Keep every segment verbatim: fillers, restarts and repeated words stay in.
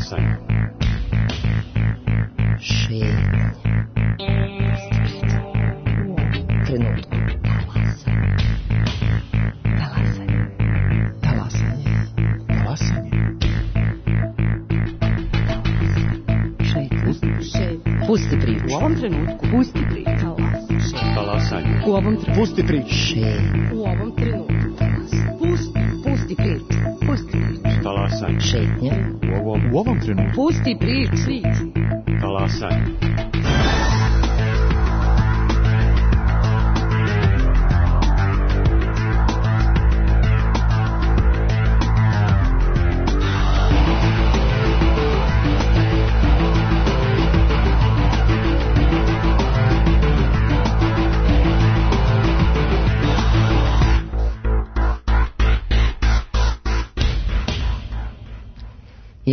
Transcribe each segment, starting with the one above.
Talasanje. Šetnja. Trenutku. Talasanje. Talasanje. Talasanje. Šetnja. Šetnja. Pusti priču. U ovom trenutku. Pusti priču. Talasanje. U ovom trenutku. Pusti priču. Šetnja. U ovom trenutku. Pusti, pusti priču. Pusti priču. Talasanje. Šetnja. U ovom, U ovom trenutku. Pusti priču. talasanje.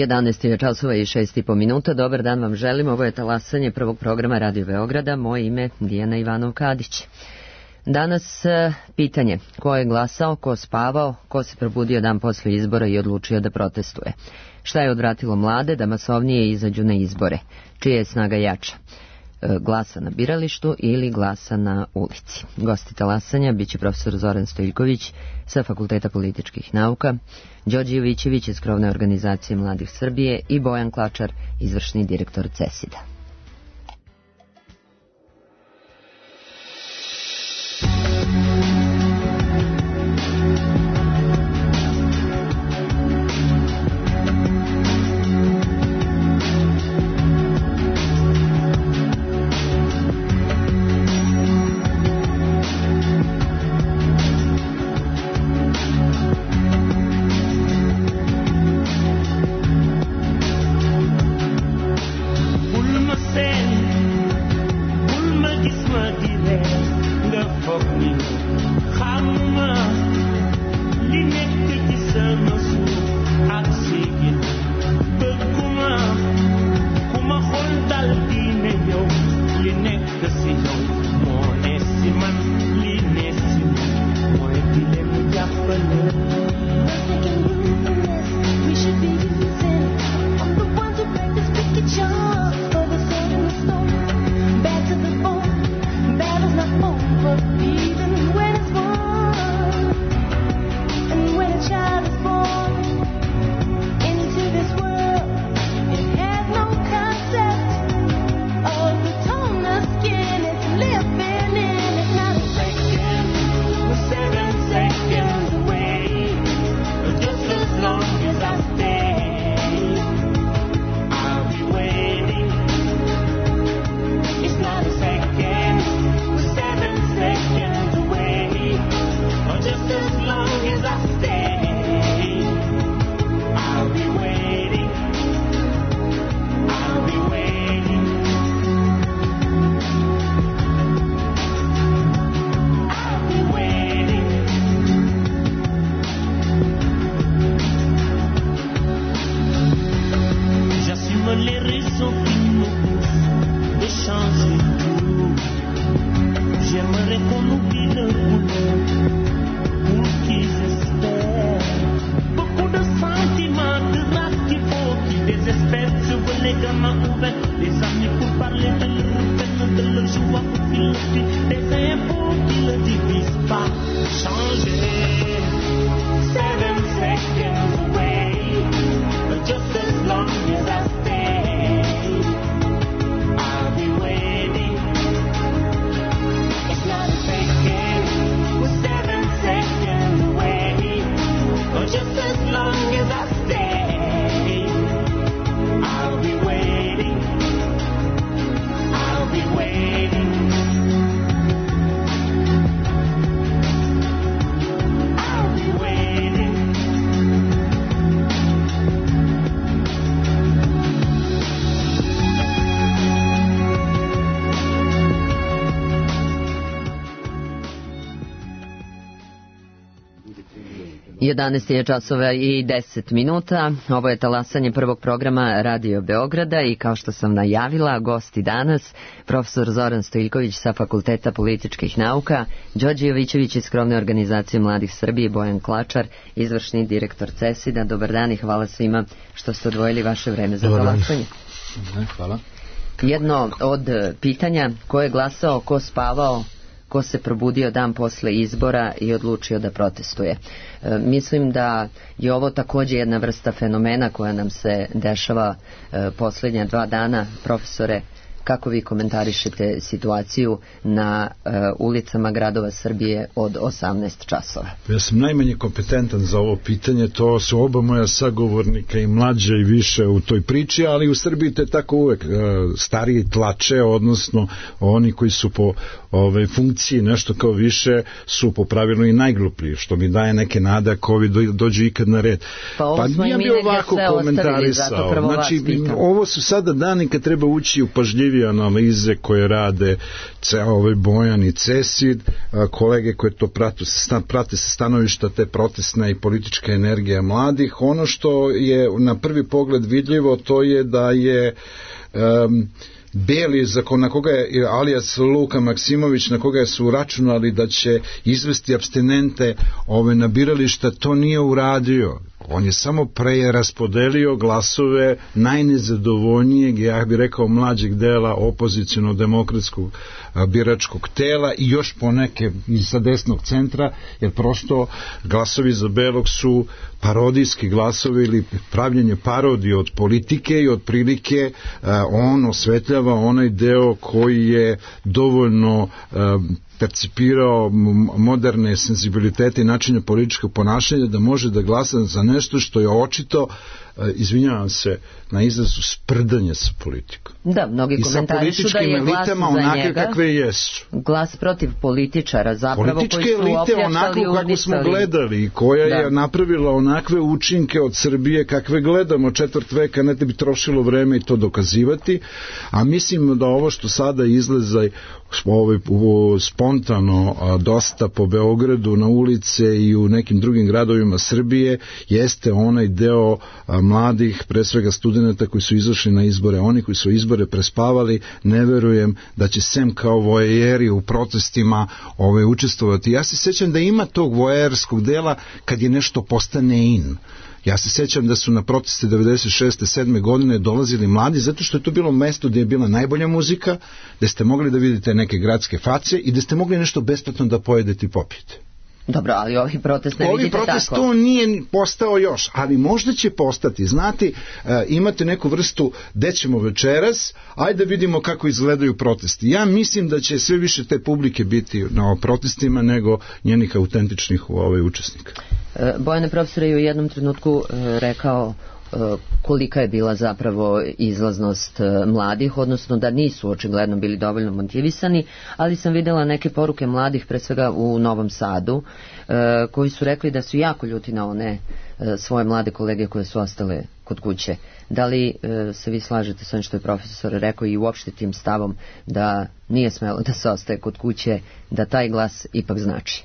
jedanaest je časova i šest i po minuta. Dobar dan vam želim. Ovo je talasanje prvog programa Radio Beograda. Moje ime Dijana Ivanov-Kadić. Danas pitanje: ko je glasao, ko spavao, ko se probudio dan posle izbora i odlučio da protestuje? Šta je odvratilo mlade da masovnije izađu na izbore? Čija je snaga jača? Glasa na biralištu ili glasa na ulici? Gosti talasanja biće profesor Zoran Stojiljković sa Fakulteta političkih nauka, Đorđe Jovićević iz krovne organizacije Mladih Srbije i Bojan Klačar, izvršni direktor CESID-a. jedanaest je časova i deset minuta. Ovo je talasanje prvog programa Radio Beograda i kao što sam najavila, gosti danas profesor Zoran Stojiljković sa Fakulteta političkih nauka, Đorđe Jovićević iz Krovne organizacije Mladih Srbije, Bojan Klačar, izvršni direktor CESID-a. Dobar dan i hvala svima što ste odvojili vaše vreme za talasanje. Hvala. Jedno od pitanja: ko je glasao, ko spavao, ko se probudio dan posle izbora i odlučio da protestuje. E, mislim da je ovo također jedna vrsta fenomena koja nam se dešava e, posljednja dva dana. Profesore, kako vi komentarišete situaciju na e, ulicama gradova Srbije od osamnaest časova? Ja sam najmanje kompetentan za ovo pitanje, to su oba moja sagovornika i mlađe i više u toj priči, ali u Srbiji to je tako uvek. Stariji tlače, odnosno oni koji su po ove, funkciji nešto kao više su po pravilu i najglupliji, što mi daje neke nade ako ovi dođu ikad na red. Pa ovo smo i mi negdje sve ostavili, zato prvo vas znači, pitam. Ovo su sada dani kad treba ući u pažljivije analize koje rade ovaj Bojan i CESID, kolege koje to prate, prate sa stanovišta te protestna i politička energija mladih. Ono što je na prvi pogled vidljivo, to je da je um, Beli, na koga je alias Luka Maksimović, na koga su uračunali da će izvesti apstinente ove na birališta, to nije uradio. On je samo preraspodelio glasove najnezadovoljnijeg, ja bih rekao mlađeg dela opoziciono-demokratskog biračkog tela i još poneke sa desnog centra, jer prosto glasovi za Belog su parodijski glasovi ili pravljenje parodije od politike i od prilike on osvetljava onaj deo koji je dovoljno percipirao moderne senzibilitete i načine političkog ponašanja da može da glasa za nešto što je očito, izvinjavam se na izrazu, sprdanje sa politikom. Da, mnogi komentarišu da je glas za onake njega kakve jesu. Glas protiv političara, zapravo političke koji su elite opljačkali, onako kako smo unicali. gledali, koja da. je napravila onakve učinke od Srbije kakve gledamo četvrt veka, ne da bi trošilo vreme i to dokazivati, a mislim da ovo što sada izlaza ovaj, spontano a, dosta po Beogradu na ulice i u nekim drugim gradovima Srbije jeste onaj deo a, mladih, pre svega studenata koji su izašli na izbore. Oni koji su izbore prespavali, ne verujem da će sem kao vojeri u protestima ove, učestvovati. Ja se sjećam da ima tog vojerskog dela kad je nešto postane in. Ja se sjećam da su na proteste devedeset šeste sedme godine dolazili mladi, zato što je to bilo mesto gdje je bila najbolja muzika, gdje ste mogli da vidite neke gradske face i gdje ste mogli nešto besplatno da pojedete i popijete. Dobro, ali ovi protest ne ovi vidite protest tako. To nije postao još, ali možda će postati. Znate, e, imate neku vrstu gde ćemo večeras, ajde da vidimo kako izgledaju protesti. Ja mislim da će sve više te publike biti na protestima nego njenih autentičnih ovaj, učesnika. E, Bojane, profesor je u jednom trenutku e, rekao kolika je bila zapravo izlaznost mladih, odnosno da nisu očigledno bili dovoljno motivisani, ali sam vidjela neke poruke mladih, pre svega u Novom Sadu, koji su rekli da su jako ljuti na one svoje mlade kolege koje su ostale kod kuće. Da li se vi slažete sa onim što je profesor rekao i uopšte tim stavom da nije smelo da se ostaje kod kuće, da taj glas ipak znači?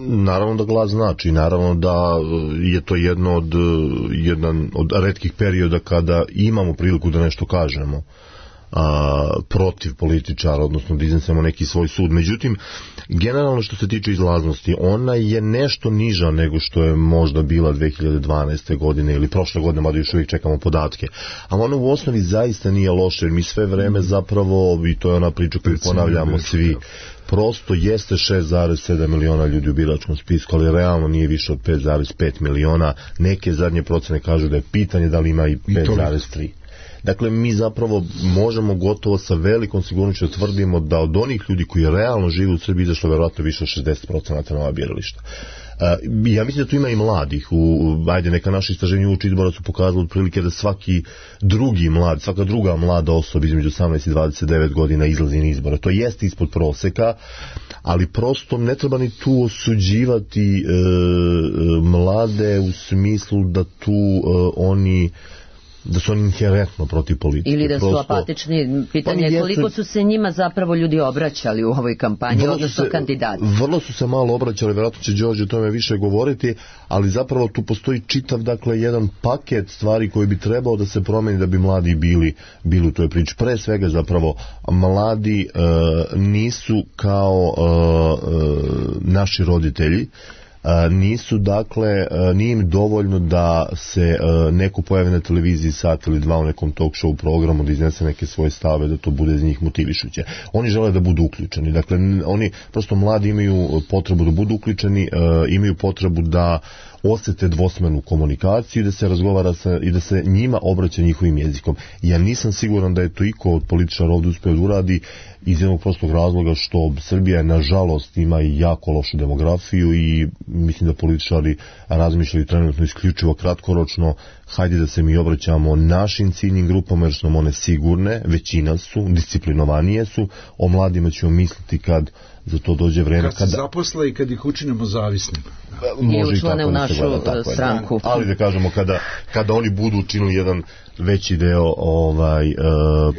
Naravno da glas znači, naravno da je to jedno od, jedan od retkih perioda kada imamo priliku da nešto kažemo a, protiv političara, odnosno da iznesemo neki svoj sud. Međutim, generalno što se tiče izlaznosti, ona je nešto niža nego što je možda bila dve hiljade dvanaeste. godine ili prošle godine, mada još uvijek čekamo podatke. Ali ona u osnovi zaista nije loše, jer mi sve vreme zapravo, i to je ona priča koju ponavljamo svi, prosto jeste šest zarez sedam miliona ljudi u biračkom spisku, ali realno nije više od pet zarez pet miliona. Neke zadnje procene kažu da je pitanje da li ima i pet zarez tri. Dakle, mi zapravo možemo gotovo sa velikom sigurnošću da tvrdimo da od onih ljudi koji realno žive u Srbiji izašlo verovatno više od šezdeset posto na ova birališta. Uh, ja mislim da tu ima i mladih. U, ajde, neka naša istraženja uoči izbora su pokazali otprilike da svaki drugi mlad, svaka druga mlada osoba između osamnaest i dvadeset devet godina izlazi na izbora. To jeste ispod proseka, ali prosto ne treba ni tu osuđivati uh, mlade u smislu da tu uh, oni da su oni inherentno protiv politike. Ili da su Prosto, apatični. Pitanje je koliko su se njima zapravo ljudi obraćali u ovoj kampanji, odnosno se, kandidati. Vrlo su se malo obraćali, vjerojatno će Đorđe o tome više govoriti, ali zapravo tu postoji čitav, dakle, jedan paket stvari koji bi trebao da se promeni da bi mladi bili, bili u toj priči. Pre svega zapravo mladi e, nisu kao e, e, naši roditelji, nisu, dakle, nije im dovoljno da se neko pojavi na televiziji sat ili dva u nekom talk show programu, da iznese neke svoje stave, da to bude za njih motivišuće. Oni žele da budu uključeni. Dakle, oni, prosto mladi imaju potrebu da budu uključeni, imaju potrebu da osjete dvosmernu komunikaciju i da se razgovara sa, i da se njima obraća njihovim jezikom. Ja nisam siguran da je to iko od političara ovdje uspio da uradi iz jednog prostog razloga što Srbija nažalost ima i jako lošu demografiju i mislim da političari razmišljaju trenutno isključivo kratkoročno, hajde da se mi obraćamo našim ciljnim grupama jer su nam one sigurne, većina su, disciplinovanije su, o mladima ćemo misliti kad za to dođe vreme. Kad se kada... zaposle i kad ih učinimo zavisnim. I učlane u našu stranku. Ali da kažemo, kada, kada oni budu učinili jedan veći deo ovaj, e,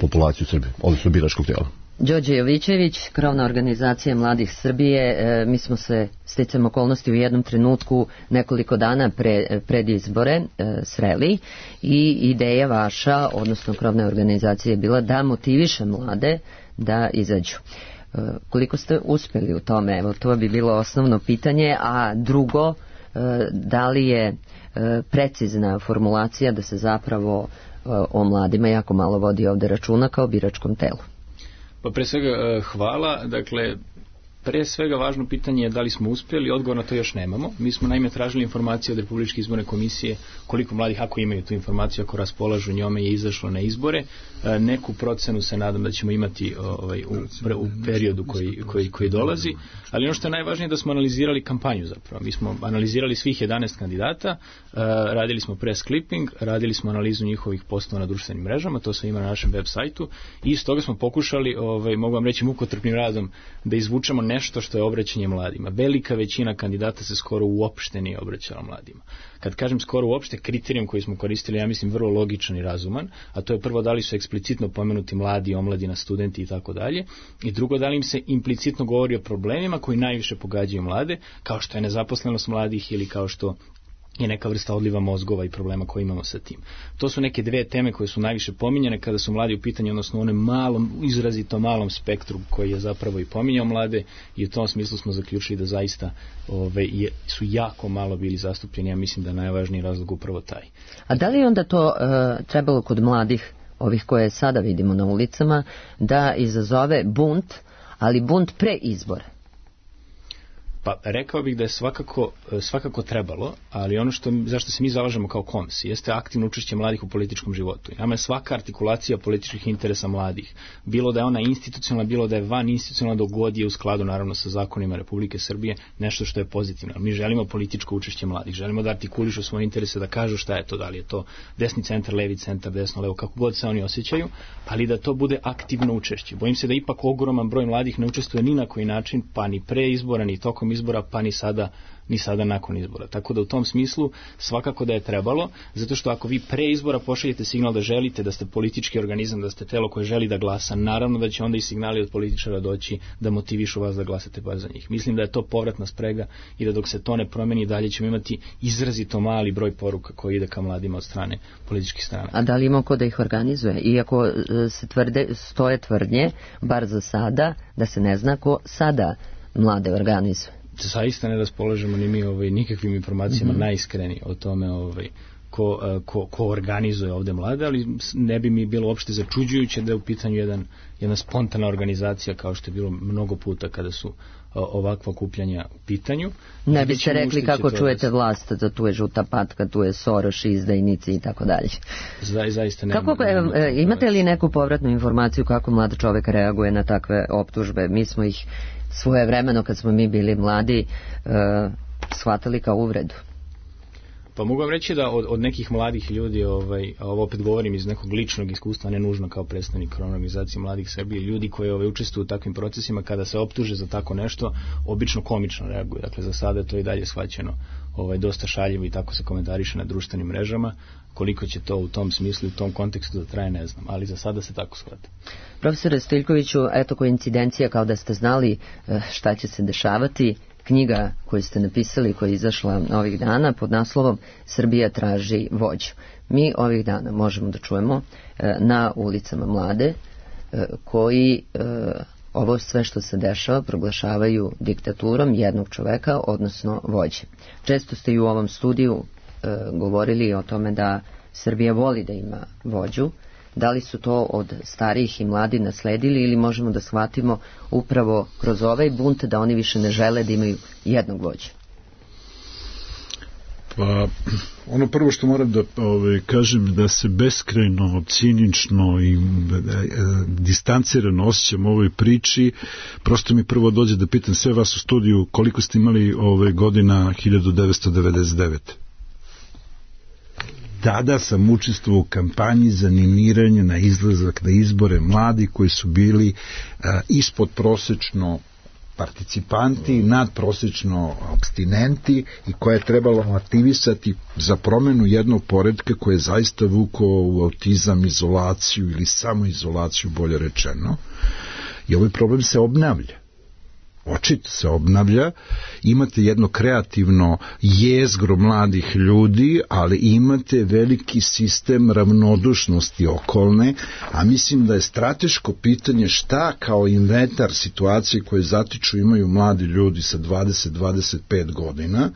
populacije u Srbiji, odnosno biračkog tijela. Đorđe Jovićević, krovna organizacija Mladih Srbije, e, mi smo se sticam okolnosti u jednom trenutku nekoliko dana pre, pred izbore e, sreli i ideja vaša, odnosno krovne organizacije je bila da motiviše mlade da izađu. E, koliko ste uspjeli u tome? Evo, to bi bilo osnovno pitanje, a drugo, e, da li je e, precizna formulacija da se zapravo e, o mladima jako malo vodi ovdje računa kao biračkom telu? Pa pre svega hvala, dakle pre svega važno pitanje je da li smo uspjeli, odgovor na to još nemamo. Mi smo naime tražili informacije od Republičke izborne komisije koliko mladih, ako imaju tu informaciju, ako raspolažu njome, je izašlo na izbore. Neku procenu se nadam da ćemo imati ovaj, u, u periodu koji, koji, koji dolazi, ali ono što je najvažnije je da smo analizirali kampanju zapravo. Mi smo analizirali svih jedanaest kandidata, radili smo press clipping, radili smo analizu njihovih postova na društvenim mrežama, to sve ima na našem web sajtu i iz toga smo pokušali, ovaj, mogu vam reći mukotrpnim radom, da izvučemo nešto što je obraćanje mladima. Velika većina kandidata se skoro uopšte nije obraćala mladima. Kad kažem skoro uopšte, kriterijum koji smo koristili, ja mislim vrlo logičan i razuman, a to je prvo da li su eksplicitno pomenuti mladi, omladina, studenti i tako dalje, i drugo da li im se implicitno govori o problemima koji najviše pogađaju mlade, kao što je nezaposlenost mladih ili kao što je neka vrsta odliva mozgova i problema koje imamo sa tim. To su neke dve teme koje su najviše pominjane kada su mladi u pitanju, odnosno u onom malom, izrazito malom spektru koji je zapravo i pominjao mlade, i u tom smislu smo zaključili da zaista ove, je, su jako malo bili zastupljeni. Ja mislim da je najvažniji razlog upravo taj. A da li onda to uh, trebalo kod mladih, ovih koje sada vidimo na ulicama, da izazove bunt, ali bunt pre izbora? Pa rekao bih da je svakako, svakako trebalo, ali ono što, zašto se mi zalažemo kao KOMS jeste aktivno učešće mladih u političkom životu. Nama je svaka artikulacija političkih interesa mladih, bilo da je ona institucionalna, bilo da je van institucionalna, dok god je u skladu naravno sa zakonima Republike Srbije, nešto što je pozitivno. Mi želimo političko učešće mladih, želimo da artikulišu svoje interese, da kažu šta je to, da li je to desni centar, levi centar, desno, levo, kako god se oni osjećaju, ali da to bude aktivno učešće. Bojim se da ipak ogroman broj mladih ne učestvuje ni na koji način, pa ni pre izbora, ni tokom izbora, pa ni sada, ni sada nakon izbora. Tako da u tom smislu svakako da je trebalo, zato što ako vi pre izbora pošaljete signal da želite, da ste politički organizam, da ste telo koje želi da glasa, naravno da će onda i signali od političara doći da motivišu vas da glasate bar za njih. Mislim da je to povratna sprega i da dok se to ne promeni dalje ćemo imati izrazito mali broj poruka koji ide ka mladima od strane političkih strana. A da li ima ko da ih organizuje? Iako se tvrde, stoje tvrdnje, bar za sada, da se ne zna ko sada mlade organizuje. Zaista ne raspolažemo ni mi ovaj, nikakvim informacijama mm-hmm. najiskreniji o tome ovaj, ko, ko, ko organizuje ovdje mlade, ali ne bi mi bilo uopšte začuđujuće da je u pitanju jedan, jedna spontana organizacija kao što je bilo mnogo puta kada su ovakva okupljanja u pitanju. Ne biste rekli kako čujete vlast, da tu je žuta patka, tu je Soros, izdajnici i tako dalje. Za, zaista nema. Kako, nema, nema imate li neku povratnu informaciju kako mlad čovjek reaguje na takve optužbe? Mi smo ih svoje vremeno kad smo mi bili mladi uh, shvatili kao uvredu. Pa mogu vam reći da od, od nekih mladih ljudi, ovaj, a ovo opet govorim iz nekog ličnog iskustva, ne nužno kao predstavnik krovne organizacije mladih Srbije, ljudi koji ovaj, učestvuju u takvim procesima, kada se optuže za tako nešto, obično komično reaguju. Dakle, za sada to i dalje shvaćeno ovaj, dosta šaljivo i tako se komentariše na društvenim mrežama. Koliko će to u tom smislu, u tom kontekstu da traje, ne znam, ali za sada se tako shvata. Profesore Stojiljkoviću, eto koincidencija kao da ste znali šta će se dešavati. Knjiga koju ste napisali, koja je izašla ovih dana pod naslovom Srbija traži vođu. Mi ovih dana možemo da čujemo na ulicama mlade koji ovo sve što se dešava proglašavaju diktaturom jednog čoveka, odnosno vođe. Često ste i u ovom studiju govorili o tome da Srbija voli da ima vođu. Da li su to od starijih i mladi nasledili ili možemo da shvatimo upravo kroz ovaj bunt da oni više ne žele da imaju jednog vođa? Pa, ono prvo što moram da ove, kažem da se beskrajno, cinično i e, distancirano osjećam u ovoj priči. Prosto mi prvo dođe da pitam sve vas u studiju koliko ste imali ove godina hiljadu devetsto devedeset devete. Tada sam učestvovao u kampanji za animiranje na izlazak na izbore mladi koji su bili a, ispod prosečno participanti, nadprosečno apstinenti i koje je trebalo aktivisati za promenu jednog poredka koje je zaista vukao u autizam, izolaciju ili samoizolaciju, bolje rečeno. I ovaj problem se obnavlja. Očito se obnavlja, imate jedno kreativno jezgro mladih ljudi, ali imate veliki sistem ravnodušnosti okolne, a mislim da je strateško pitanje šta kao inventar situacije koje zatiču imaju mladi ljudi sa dvadeset do dvadeset pet godina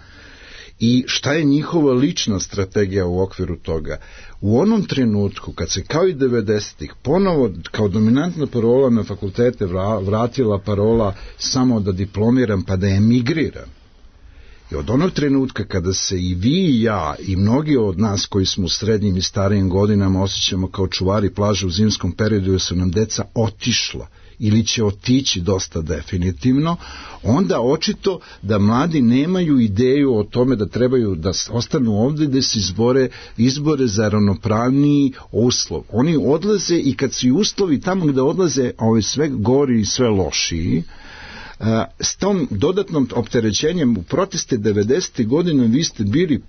i šta je njihova lična strategija u okviru toga. U onom trenutku kad se kao i devedesetih ponovo kao dominantna parola na fakultete vratila parola samo da diplomiram pa da emigriram. I od onog trenutka kada se i vi i ja i mnogi od nas koji smo u srednjim i starijim godinama osjećamo kao čuvari plaže u zimskom periodu jer su nam deca otišla ili će otići dosta definitivno, onda očito da mladi nemaju ideju o tome da trebaju da ostanu ovdje da se izbore, izbore za ravnopravniji uslov. Oni odlaze i kad su i uslovi tamo gde odlaze ovaj sve gori i sve lošiji, s tom dodatnom opterećenjem u proteste devedesetih godina vi ste bili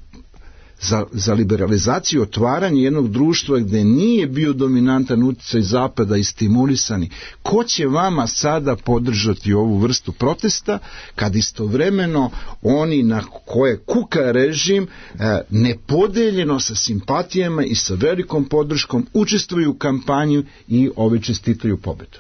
za, za liberalizaciju, otvaranje jednog društva gde nije bio dominantan uticaj zapada i stimulisani. Ko će vama sada podržati ovu vrstu protesta kad istovremeno oni na koje kuka režim nepodeljeno sa simpatijama i sa velikom podrškom učestvuju u kampanju i ove čestitaju pobedu?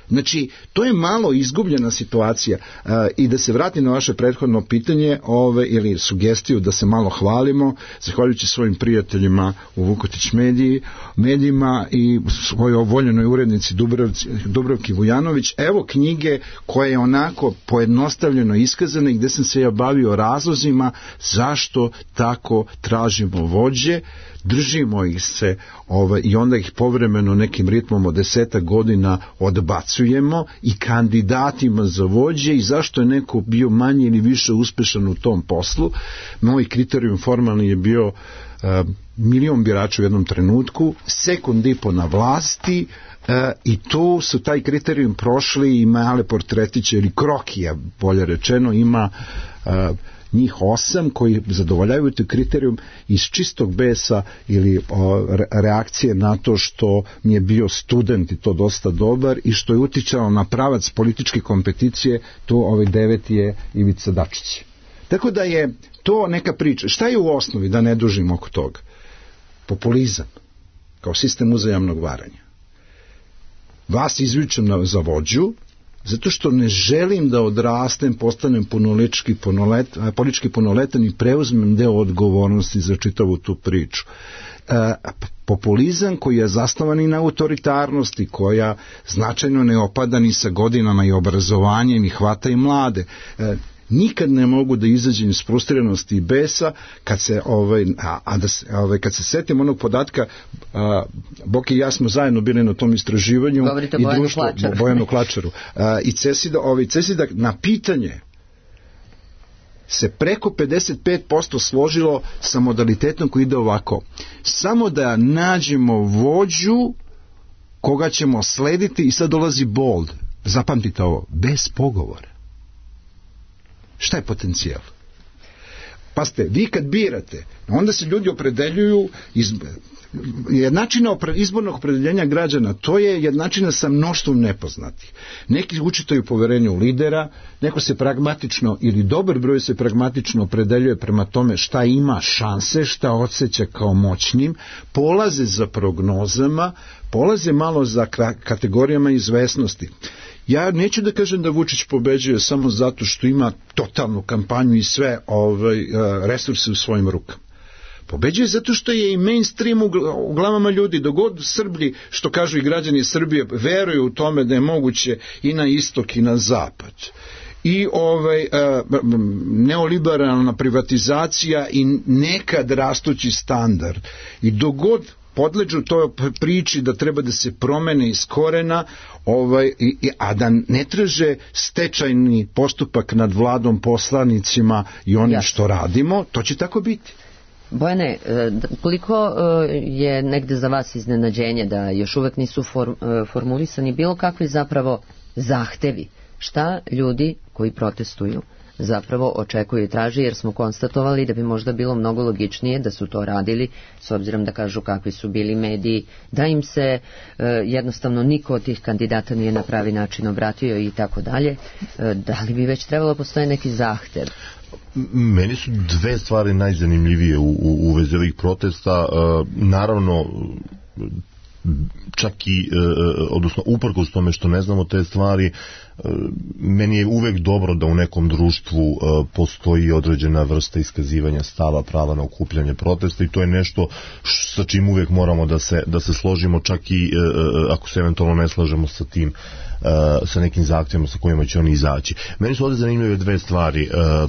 Znači, to je malo izgubljena situacija uh, i da se vrati na vaše prethodno pitanje ove, ili sugestiju da se malo hvalimo, zahvaljujući svojim prijateljima u Vukotić mediji, medijima i svojoj voljenoj urednici Dubrovci, Dubrovki Vujanović, evo knjige koje je onako pojednostavljeno iskazane gde sam se ja bavio razlozima zašto tako tražimo vođe, držimo ih se ovaj, i onda ih povremeno nekim ritmom od desetak godina odbacujemo i kandidatima za vođe i zašto je neko bio manje ili više uspešan u tom poslu. Moj kriterijum formalni je bio uh, milion birača u jednom trenutku, sekund i po na vlasti, uh, i tu su taj kriterijum prošli i male portretiće ili krokija, bolje rečeno, ima uh, njih osam koji zadovoljavaju te kriterijum iz čistog besa ili o, reakcije na to što mi je bio student i to dosta dobar i što je uticalo na pravac političke kompeticije, tu ovaj deveti je Ivica Dačić. Tako da je to neka priča. Šta je u osnovi, da ne dužim oko toga? Populizam kao sistem uzajamnog varanja. Vas izvučem na, za vođu zato što ne želim da odrastem, postanem punoletčki punolet, politički punoletan i preuzmem deo odgovornosti za čitavu tu priču. E, populizam koji je zasnovan i na autoritarnosti, koja značajno ne opada ni sa godinama i obrazovanjem i hvata i mlade. E, nikad ne mogu da izađem iz frustriranosti i besa kad se ovaj a, a da se, ovaj kad se setim onog podatka, a, Boki i ja smo zajedno bili na tom istraživanju. Govorite i Bojanu društvo Klačaru. Bojanu Klačaru a, i Cesida, ovaj Cesida na pitanje se preko pedeset pet posto složilo sa modalitetom koji ide ovako. Samo da nađemo vođu koga ćemo slediti, i sad dolazi bold. Zapamtite ovo, bez pogovora. Šta je potencijal? Pazite, vi kad birate, onda se ljudi opredeljuju iz jednačina izbornog opredeljenja građana, to je jednačina sa mnoštvom nepoznatih. Neki učitaju poverenje u lidera, neko se pragmatično, ili dobar broj se pragmatično opredeljuje prema tome šta ima šanse, šta osjeća kao moćnim, polaze za prognozama, polaze malo za kategorijama izvesnosti. Ja neću da kažem da Vučić pobeđuje samo zato što ima totalnu kampanju i sve ovaj, resurse u svojim rukama. Pobeđuje zato što je i mainstream u glavama ljudi, dogod Srbi, što kažu i građani Srbije, veruju u tome da je moguće i na istok i na zapad. I ovaj, neoliberalna privatizacija i nekad rastući standard. I dogod podleđu toj priči da treba da se promene iz korena, ovaj, i, a da ne traže stečajni postupak nad vladom, poslanicima i onim Jasne. Što radimo, to će tako biti. Bojane, koliko je negde za vas iznenađenje da još uvek nisu formulisani bilo kakvi zapravo zahtevi? Šta ljudi koji protestuju zapravo očekuju i traži, jer smo konstatovali da bi možda bilo mnogo logičnije da su to radili, s obzirom da kažu kakvi su bili mediji, da im se e, jednostavno niko od tih kandidata nije na pravi način obratio i tako dalje. E, da li bi već trebalo postoje neki zahtev? Meni su dve stvari najzanimljivije u, u, u vezi ovih protesta. E, naravno, čak i, e, odnosno uprkos tome što ne znamo te stvari, e, meni je uvek dobro da u nekom društvu e, postoji određena vrsta iskazivanja stava, prava na okupljanje protesta, i to je nešto sa čim uvek moramo da se, da se složimo, čak i e, ako se eventualno ne slažemo sa tim, e, sa nekim zahtjevima sa kojima će oni izaći. Meni su ovdje zanimljive dve stvari. E,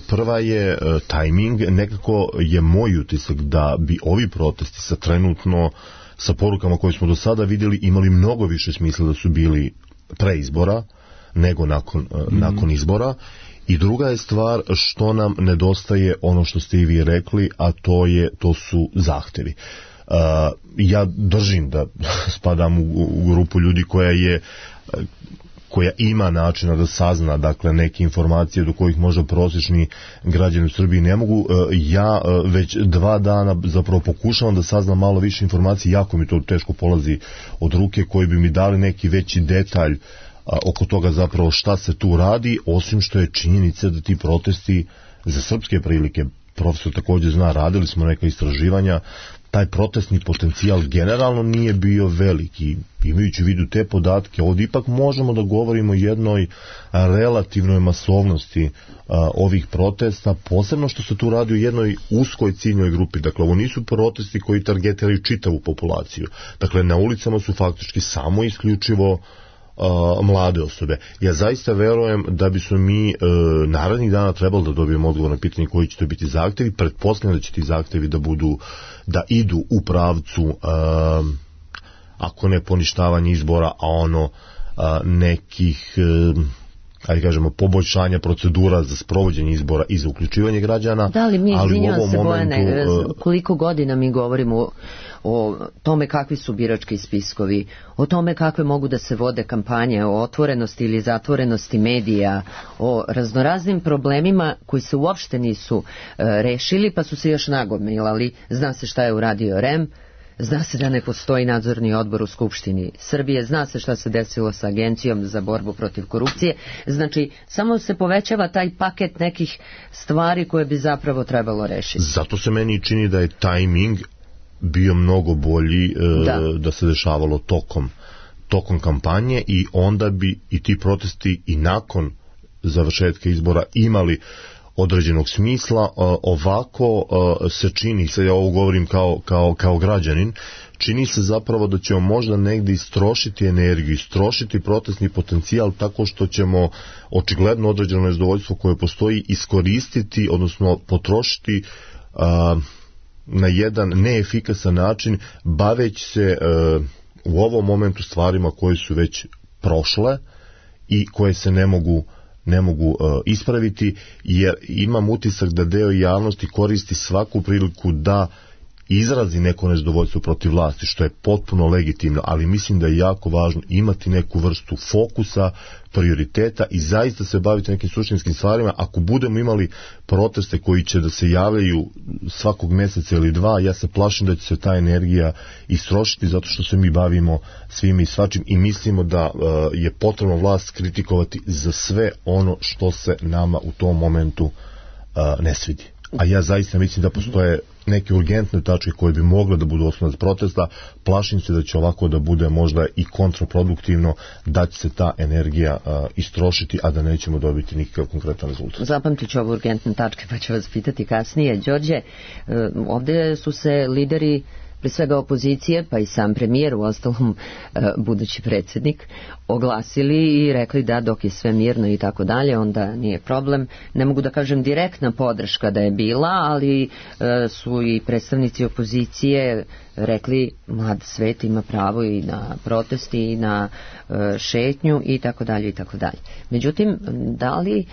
prva je e, tajming. Nekako je moj utisak da bi ovi protesti sa trenutno sa porukama koje smo do sada vidjeli imali mnogo više smisla da su bili pre izbora nego nakon, mm. nakon izbora. I druga je stvar što nam nedostaje, ono što ste i vi rekli, a to je to su zahtevi. Uh, ja držim da spadam u, u grupu ljudi koja je koja ima načina da sazna, dakle, neke informacije do kojih možda prosječni građani u Srbiji ne mogu. Ja već dva dana zapravo pokušavam da saznam malo više informacije, jako mi to teško polazi od ruke, koji bi mi dali neki veći detalj oko toga zapravo šta se tu radi, osim što je činjenica da ti protesti za srpske prilike, profesor također zna, radili smo neka istraživanja, taj protestni potencijal generalno nije bio veliki. Imajući u vidu te podatke, ovdje ipak možemo da govorimo o jednoj relativnoj masovnosti a, ovih protesta, posebno što se tu radi o jednoj uskoj ciljnoj grupi. Dakle, ovo nisu protesti koji targetiraju čitavu populaciju. Dakle, na ulicama su faktički samo isključivo a, mlade osobe. Ja zaista verujem da bi su mi e, narednih dana trebali da dobijemo odgovor na pitanje koji će to biti zahtjevi. Pretpostavljam da će ti zahtjevi da budu, da idu u pravcu a, ako ne poništavanje izbora, a ono a, nekih, e, ajde kažemo, poboljšanja procedura za sprovođenje izbora i za uključivanje građana. Da li mi, izvinjavam se, momentu, Bojane, koliko godina mi govorimo o, o tome kakvi su birački spiskovi, o tome kakve mogu da se vode kampanje, o otvorenosti ili zatvorenosti medija, o raznoraznim problemima koji se uopšte nisu e, rešili, pa su se još nagomilali. Zna se šta je uradio R E M, zna se da ne postoji nadzorni odbor u Skupštini Srbije, zna se šta se desilo sa Agencijom za borbu protiv korupcije. Znači, samo se povećava taj paket nekih stvari koje bi zapravo trebalo rešiti. Zato se meni čini da je tajming bio mnogo bolji e, da. da se dešavalo tokom, tokom kampanje, i onda bi i ti protesti i nakon završetka izbora imali određenog smisla. Ovako se čini, sad ja ovo govorim kao, kao, kao građanin, čini se zapravo da ćemo možda negdje istrošiti energiju, istrošiti protestni potencijal tako što ćemo očigledno određeno nezadovoljstvo koje postoji iskoristiti, odnosno potrošiti a, na jedan neefikasan način, baveći se a, u ovom momentu stvarima koje su već prošle i koje se ne mogu ne mogu uh, ispraviti, jer imam utisak da deo javnosti koristi svaku priliku da izrazi neko nezadovoljstvo protiv vlasti, što je potpuno legitimno, ali mislim da je jako važno imati neku vrstu fokusa, prioriteta i zaista se baviti nekim suštinskim stvarima. Ako budemo imali proteste koji će da se javljaju svakog mjeseca ili dva, ja se plašim da će se ta energija istrošiti, zato što se mi bavimo svim i svačim i mislimo da uh, je potrebno vlast kritikovati za sve ono što se nama u tom momentu uh, ne svidi. A ja zaista mislim da postoje neke urgentne tačke koje bi mogle da budu osnov protesta. Plašim se da će ovako da bude možda i kontraproduktivno, da će se ta energija a, istrošiti, a da nećemo dobiti nikakav konkretan rezultat. Zapamtit ću ove urgentne tačke pa ću vas pitati kasnije. Đorđe, ovdje su se lideri pre svega opozicije, pa i sam premijer, u ostalom budući predsjednik, oglasili i rekli da dok je sve mirno i tako dalje, onda nije problem. Ne mogu da kažem direktna podrška da je bila, ali su i predstavnici opozicije rekli mlad svet ima pravo i na protesti i na šetnju i tako dalje i tako dalje. Međutim, da li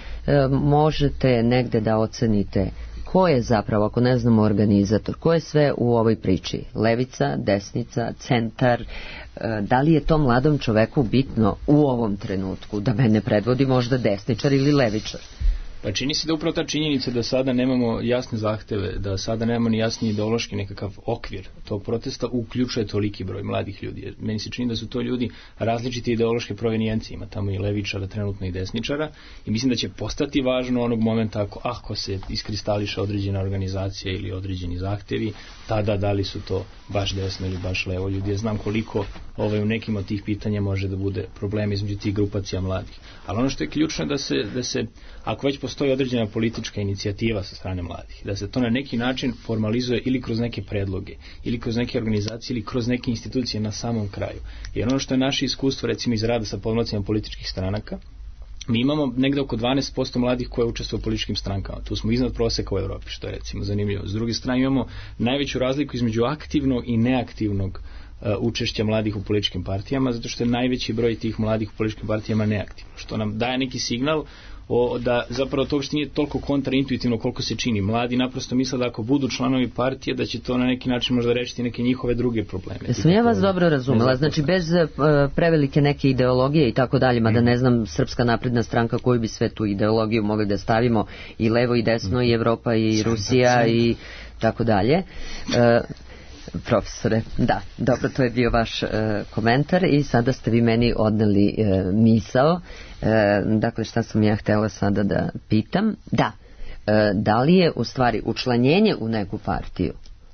možete negde da ocenite ko je zapravo, ako ne znamo organizator, ko je sve u ovoj priči? Levica, desnica, centar, da li je to mladom čoveku bitno u ovom trenutku, da mene predvodi možda desničar ili levičar? Pa čini se da upravo ta činjenica da sada nemamo jasne zahteve, da sada nemamo ni jasni ideološki nekakav okvir tog protesta, uključuje toliki broj mladih ljudi. Meni se čini da su to ljudi različite ideološke provenijencije, ima tamo i levičara, trenutno i desničara, i mislim da će postati važno onog momenta ako, ako se iskristališe određena organizacija ili određeni zahtevi, tada da li su to baš desno ili baš levo ljudi. Ja znam koliko ovaj, u nekim od tih pitanja može da bude problem između tih grupacija mladih. Ali ono što je ključno je da se, da se ako već postoji određena politička inicijativa sa strane mladih, da se to na neki način formalizuje ili kroz neke predloge, ili kroz neke organizacije, ili kroz neke institucije na samom kraju. Jer ono što je naše iskustvo, recimo iz rada sa podmlacima političkih stranaka, mi imamo negde oko dvanaest posto mladih koje učestvuju u političkim strankama. Tu smo iznad proseka u Evropi, što je recimo zanimljivo. S druge strane imamo najveću razliku između aktivnog i neaktivnog uh, učešća mladih u političkim partijama, zato što je najveći broj tih mladih u političkim partijama neaktivno, što nam daje neki signal o, da zapravo to što nije toliko kontraintuitivno koliko se čini. Mladi naprosto misle da ako budu članovi partije da će to na neki način možda rešiti neke njihove druge probleme. Jesam ja vas dobro razumela, znači bez uh, prevelike neke ideologije i tako dalje, mada ne znam Srpska napredna stranka koju bi sve tu ideologiju mogli da stavimo, i levo i desno, i Evropa i Rusija i tako dalje. Uh, Profesore, da, dobro, to je bio vaš e, komentar i sada ste vi meni odneli e, misao. E, dakle, šta sam ja htjela sada da pitam? Da, e, da li je u stvari učlanjenje u neku partiju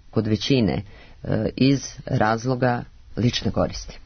kod većine e, iz razloga lične koristi?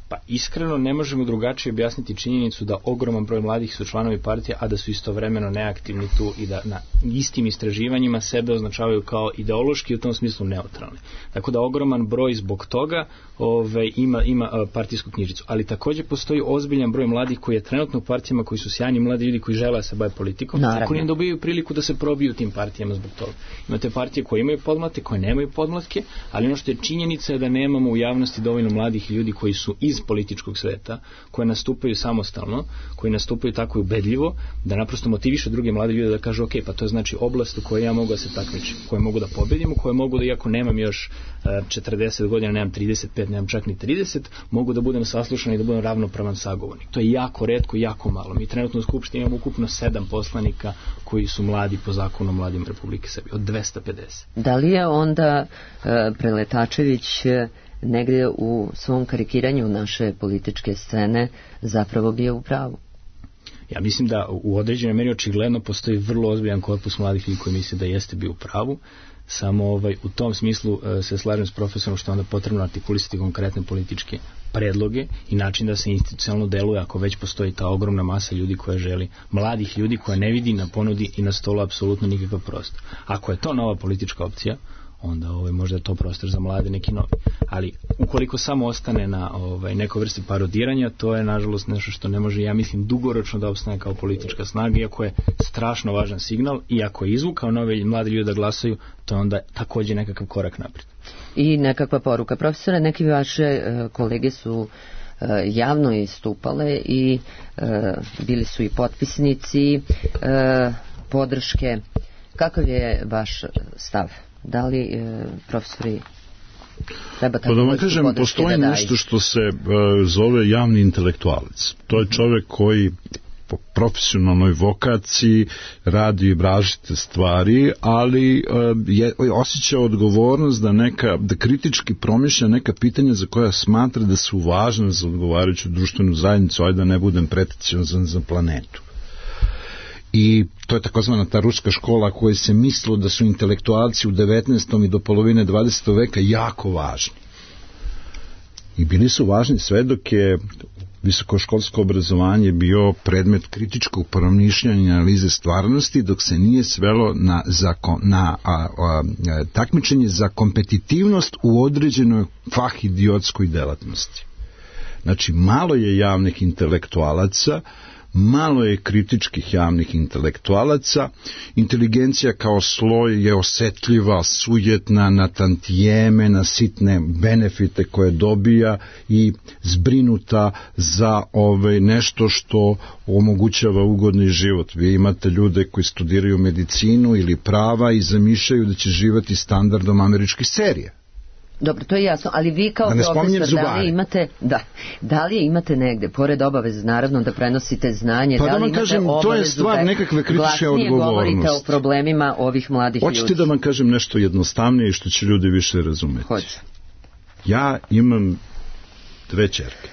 Pa iskreno ne možemo drugačije objasniti činjenicu da ogroman broj mladih su članovi partije, a da su istovremeno neaktivni tu i da na istim istraživanjima sebe označavaju kao ideološki i u tom smislu neutralni. Tako da ogroman broj zbog toga ove, ima, ima partijsku knjižicu. Ali također postoji ozbiljan broj mladih koji je trenutno u partijama, koji su sjajni mladi ljudi koji žele da se bave politikom, koji ne dobiju priliku da se probiju tim partijama zbog toga. Imate partije koje imaju podmlatke, koje nemaju podmlatke, ali ono što je činjenica je da nemamo u javnosti dovoljno mladih ljudi koji su iz političkog sveta, koje nastupaju samostalno, koji nastupaju tako ubedljivo, da naprosto motiviše druge mlade ljude da kažu ok, pa to je znači oblast u kojoj ja mogu da se takmičim, koje mogu da pobedim, u kojoj mogu da, iako nemam još četrdeset godina, nemam trideset pet, nemam čak ni trideset, mogu da budem saslušan i da budem ravnopravan sagovornik. To je jako retko, jako malo. Mi trenutno u Skupštini imamo ukupno sedam poslanika koji su mladi po zakonu o mladim Republike Srbije, od dvesta pedeset. Da li je onda uh, Preletačević uh, negdje u svom karikiranju naše političke scene zapravo bio u pravu? Ja mislim da u određenoj meri očigledno postoji vrlo ozbiljan korpus mladih ljudi koji misle da jeste bio u pravu. Samo ovaj, u tom smislu e, se slažem s profesorom što je onda potrebno artikulisati konkretne političke predloge i način da se institucionalno deluje ako već postoji ta ogromna masa ljudi koja želi, mladih ljudi koja ne vidi na ponudi i na stolu apsolutno nikakav prostor. Ako je to nova politička opcija, onda ovaj, možda je to prostor za mlade neki novi. Ali ukoliko samo ostane na ovaj, nekoj vrsti parodiranja, to je nažalost nešto što ne može, ja mislim, dugoročno da opstane kao politička snaga, iako je strašno važan signal i ako je izvukao nove mlade ljude da glasaju, to je onda također nekakav korak naprijed. I nekakva poruka. Profesore, neki vaše uh, kolege su javno istupale i bili su i potpisnici podrške. Kakav je vaš stav? Da li profesori treba tako pa da vam vrstu kažem, podrške postoji da daju? nešto što se uh, zove javni intelektualac. To je čovjek koji po profesionalnoj vokaciji radi različite stvari, ali uh, je, osjeća odgovornost da neka, da kritički promišlja neka pitanja za koja smatra da su važne za odgovarajuću društvenu zajednicu, ajde da ne budem pretenciozan za planetu. I to je takozvana ta ruska škola koja se mislilo da su intelektualci u devetnaestom i do polovine dvadesetog veka jako važni. I bili su važni sve dok je visokoškolsko obrazovanje bio predmet kritičkog promišljanja i analize stvarnosti, dok se nije svelo na, zakon, na a, a, takmičenje za kompetitivnost u određenoj fah idiotskoj delatnosti. Znači, malo je javnih intelektualaca, malo je kritičkih javnih intelektualaca, inteligencija kao sloj je osetljiva, sujetna na tantijeme, na sitne benefite koje dobija i zbrinuta za ove nešto što omogućava ugodni život. Vi imate ljude koji studiraju medicinu ili prava i zamišljaju da će živjeti standardom američkih serija. Dobro, to je jasno, ali vi kao profesor, da li imate, da, da li imate negde, pored obaveze, naravno, da prenosite znanje, pa da li da imate kažem, obavezu to je stvar da nekakve kritičke odgovornosti. govorite o problemima ovih mladih Hoćete ljudi? Hoćete da vam kažem nešto jednostavnije i što će ljudi više razumeti? Hoću. Ja imam dve ćerke.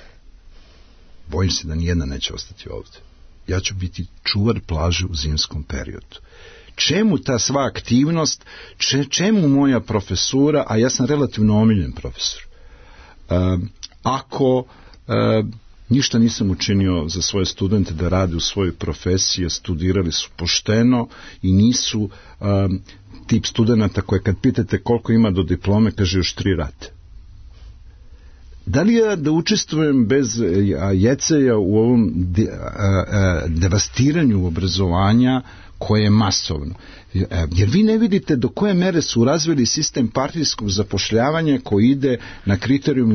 Bojim se da nijedna neće ostati ovdje. Ja ću biti čuvar plaže u zimskom periodu. Čemu ta sva aktivnost, če, čemu moja profesura, a ja sam relativno omiljen profesor. E, ako e, ništa nisam učinio za svoje studente da rade u svojoj profesiji, studirali su pošteno i nisu e, tip studenta koje kad pitate koliko ima do diplome, kaže još tri rate. Da li ja da učestvujem bez jeceja u ovom de, a, a, devastiranju obrazovanja koje je masovno? Jer vi ne vidite do koje mere su razvili sistem partijskog zapošljavanja koji ide na kriterijum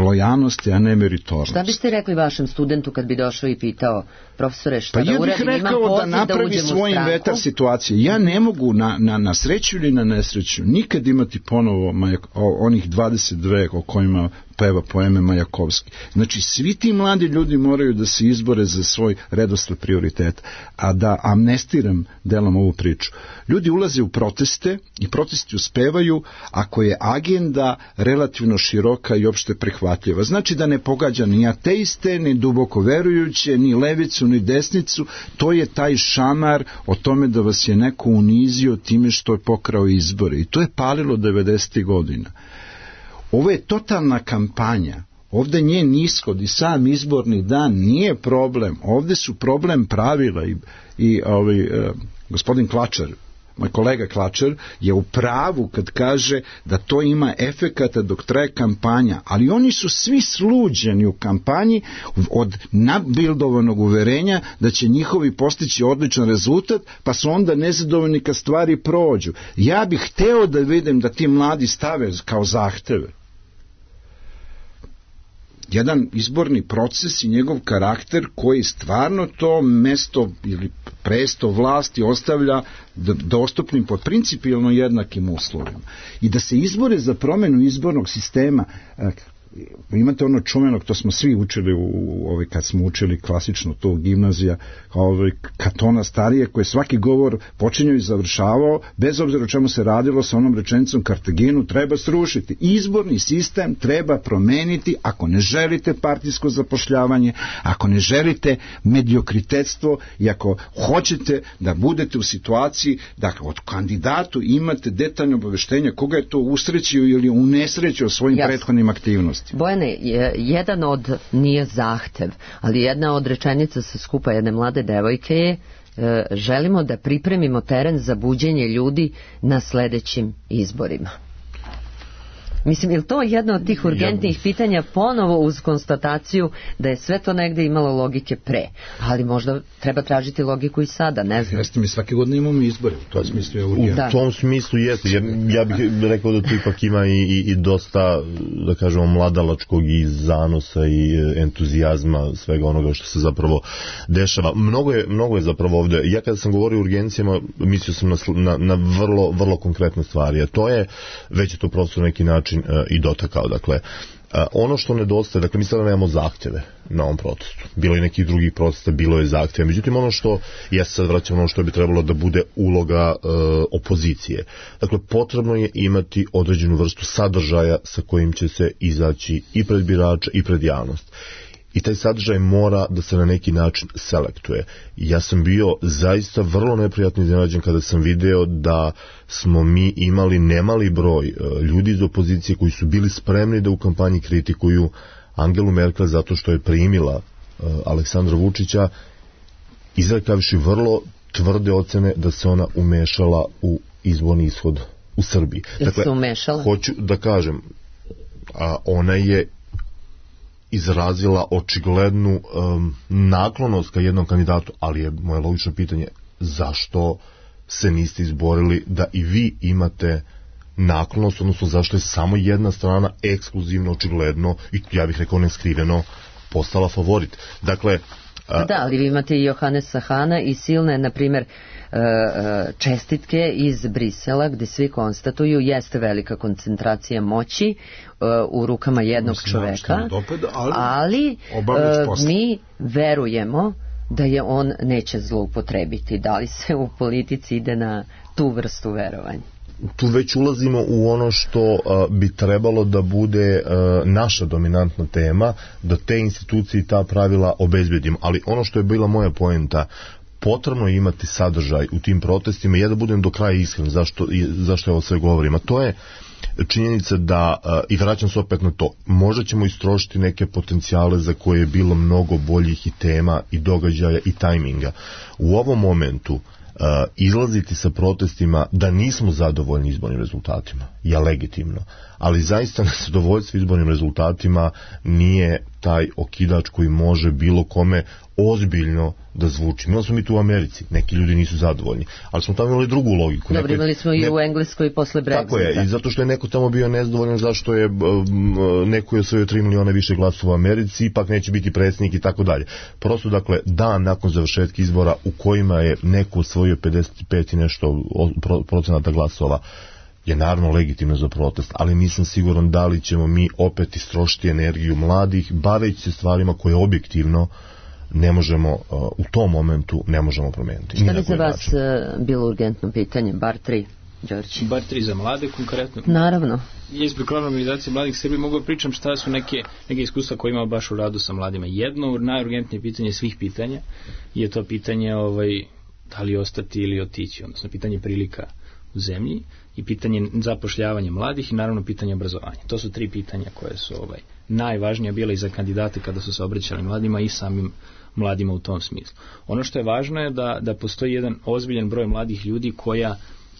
lojalnosti, a ne meritornosti. Šta biste rekli vašem studentu kad bi došao i pitao, profesore, šta pa da ja uradim, imam rekao poziv da napravi da svoj inventar situacije. Ja ne mogu na, na, na sreću ili na nesreću nikad imati ponovo Majak, o, onih dvadeset dve o kojima peva poeme Majakovski. Znači, svi ti mladi ljudi moraju da se izbore za svoj redosled prioriteta. A da amnestiram delom ovu priču. Ljudi ulaze u proteste i protesti uspevaju ako je agenda relativno široka i opšte prihvatljiva. Znači da ne pogađa ni ateiste, ni duboko verujuće, ni levicu, ni desnicu. To je taj šamar o tome da vas je neko unizio time što je pokrao izbore. I to je palilo devedesetih godina. Ovo je totalna kampanja. Ovdje njen ishod i sam izborni dan nije problem. Ovdje su problem pravila i, i ovaj, eh, gospodin Klačar, moj kolega Klačar, je u pravu kad kaže da to ima efekata dok traje kampanja, ali oni su svi sluđeni u kampanji od nabildovanog uverenja da će njihovi postići odličan rezultat, pa su onda nezadovoljni kad stvari prođu. Ja bih hteo da vidim da ti mladi stave kao zahteve jedan izborni proces i njegov karakter koji stvarno to mesto ili presto vlasti ostavlja dostupnim pod principijelno jednakim uslovima. I da se izbore za promjenu izbornog sistema, imate ono čuvenog, to smo svi učili u, ovaj, kad smo učili klasično to gimnazija, ovaj, Katona Starije, koje svaki govor počinjao i završavao, bez obzira o čemu se radilo, sa onom rečenicom Kartaginu treba srušiti. Izborni sistem treba promeniti ako ne želite partijsko zapošljavanje, ako ne želite mediokritetstvo i ako hoćete da budete u situaciji da od kandidatu imate detaljno obaveštenje koga je to usrećio ili unesrećio svojim Jasne. prethodnim aktivnostima. Bojane, jedan od, nije zahtev, ali jedna od rečenica sa skupa jedne mlade devojke je e, želimo da pripremimo teren za buđenje ljudi na sledećim izborima. Mislim, je li to jedno od tih urgentnih ja... pitanja ponovo uz konstataciju da je sve to negde imalo logike pre, ali možda treba tražiti logiku i sada, ne znam. Jeste, mi svake godine imamo izbore, u tom smislu je urgentno. U tom smislu jeste, ja, ja bih rekao da tu ipak ima i, i, i dosta, da kažemo, mladalačkog i zanosa i entuzijazma svega onoga što se zapravo dešava. Mnogo je, mnogo je zapravo ovde, ja kada sam govorio o urgencijama, mislio sam na, na, na vrlo, vrlo konkretne stvari, a to je, već je to prosto neki način uh, i dotakao, dakle, uh, ono što nedostaje, dakle, mi sada nemamo zahtjeve na ovom protestu, bilo je nekih drugih protesta, bilo je zahtjeva, međutim ono što, ja se sad vraćam ono što bi trebalo da bude uloga uh, opozicije, dakle, potrebno je imati određenu vrstu sadržaja sa kojim će se izaći i pred birača i pred javnost. I taj sadržaj mora da se na neki način selektuje. Ja sam bio zaista vrlo neprijatno iznenađen kada sam video da smo mi imali nemali broj ljudi iz opozicije koji su bili spremni da u kampanji kritikuju Angelu Merkel zato što je primila Aleksandra Vučića, izrekavši vrlo tvrde ocene da se ona umešala u izborni ishod u Srbiji. Dakle, se umešala? Hoću da kažem, a ona je izrazila očiglednu um, naklonost ka jednom kandidatu, ali je moje logično pitanje zašto se niste izborili da i vi imate naklonost, odnosno zašto je samo jedna strana ekskluzivno, očigledno i ja bih rekao neskriveno postala favorit. Dakle, a... Da, ali vi imate i Johanesa Hana i silne, na primjer, čestitke iz Brisela gdje svi konstatuju jeste velika koncentracija moći u rukama jednog Mislim, čoveka, dopeda, ali, ali mi verujemo da je on neće zloupotrebiti. Da li se u politici ide na tu vrstu verovanja? Tu već ulazimo u ono što uh, bi trebalo da bude uh, naša dominantna tema, da te institucije i ta pravila obezbedimo. Ali ono što je bila moja poenta, potrebno je imati sadržaj u tim protestima i ja da budem do kraja iskren zašto, zašto ovo sve govorim. A to je činjenica da, uh, i vraćam se opet na to, možda ćemo istrošiti neke potencijale za koje je bilo mnogo boljih i tema i događaja i tajminga. U ovom momentu Uh, izlaziti sa protestima da nismo zadovoljni izbornim rezultatima je legitimno, ali zaista nezadovoljstvo izbornim rezultatima nije taj okidač koji može bilo kome ozbiljno da zvuči. Mi smo mi tu u Americi, neki ljudi nisu zadovoljni, ali smo tamo imali drugu logiku. Dobro, imali smo i ne... u Engleskoj posle Brexita. Tako je, i zato što je neko tamo bio nezadovoljan zašto je um, neko je osvojio tri miliona više glasova u Americi, ipak neće biti predsjednik i tako dalje. Prosto, dakle, dan nakon završetka izbora u kojima je neko osvojio pedeset pet i nešto procenata glasova, je naravno legitimno za protest, ali nisam siguran da li ćemo mi opet istrošiti energiju mladih, baveći se stvarima koje objektivno ne možemo, uh, u tom momentu ne možemo promijeniti. Šta bi za vas uh, bilo urgentno pitanje? Bar tri, Đorđe. Bar tri za mlade konkretno? Naravno. Ja iz programne organizacije mladih Srbije mogu pričam šta su neke, neke iskustva koje imamo baš u radu sa mladima. Jedno najurgentnije pitanje svih pitanja je to pitanje ovaj, da li ostati ili otići, odnosno pitanje prilika u zemlji i pitanje zapošljavanja mladih i naravno pitanje obrazovanja. To su tri pitanja koje su ovaj, najvažnija bila i za kandidate kada su se obraćali mladima i samim mladima u tom smislu. Ono što je važno je da, da postoji jedan ozbiljan broj mladih ljudi koja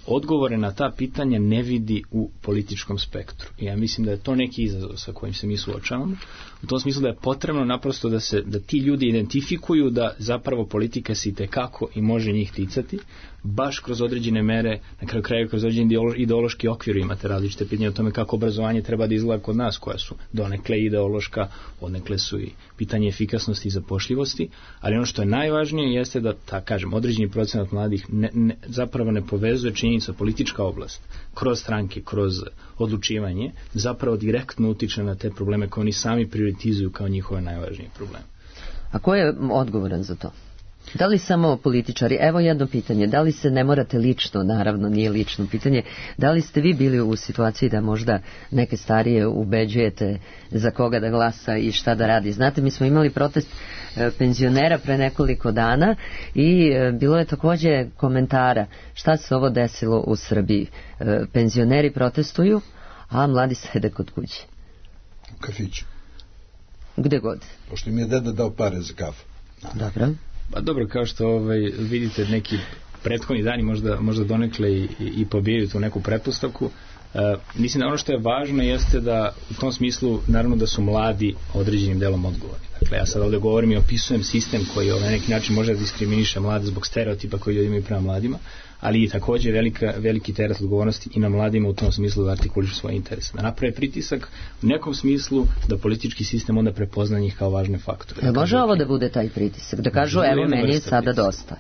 odgovore na ta pitanja ne vidi u političkom spektru. I ja mislim da je to neki izazov sa kojim se mi suočavamo. U tom smislu da je potrebno naprosto da se da ti ljudi identifikuju da zapravo politika se itekako i može njih ticati, baš kroz određene mere, na kraju krajeva kroz određeni ideološki okvir imate različite pitanja o tome kako obrazovanje treba da izgleda kod nas, koja su donekle ideološka, odnekle su i pitanje efikasnosti i zapošljivosti, ali ono što je najvažnije jeste da, ta, kažem, određeni procenat mladih ne, ne, zapravo ne povezuje činjenica politička oblast kroz stranke, kroz odlučivanje, zapravo direktno utiče na te probleme koje oni sami prioritizuju kao njihove najvažnije probleme. A ko je odgovoran za to? Da li samo političari? Evo jedno pitanje, da li se ne morate lično, naravno nije lično pitanje, da li ste vi bili u situaciji da možda neke starije ubeđujete za koga da glasa i šta da radi? Znate, mi smo imali protest e, penzionera pre nekoliko dana i e, bilo je također komentara šta se ovo desilo u Srbiji. E, penzioneri protestuju, a mladi sede kod kuće. U kafiću. Gde god. Pošto mi je deda dao pare za kafu. Dobro. Pa dobro, kao što ovaj, vidite neki prethodni dani možda, možda donekle i, i, i pobijaju tu neku pretpostavku, Uh, mislim da ono što je važno jeste da u tom smislu naravno da su mladi određenim delom odgovorni. Dakle, ja sad ovdje govorim i opisujem sistem koji na neki način može da diskriminiše mlade zbog stereotipa koji ljudi imaju prema mladima, ali i također velika, veliki teret odgovornosti i na mladima u tom smislu da artikulišu svoje interese. Da naprave pritisak u nekom smislu da politički sistem onda prepozna njih kao važne faktore. Da može ovo da bude taj pritisak? Da kažu, evo, meni je sada dosta.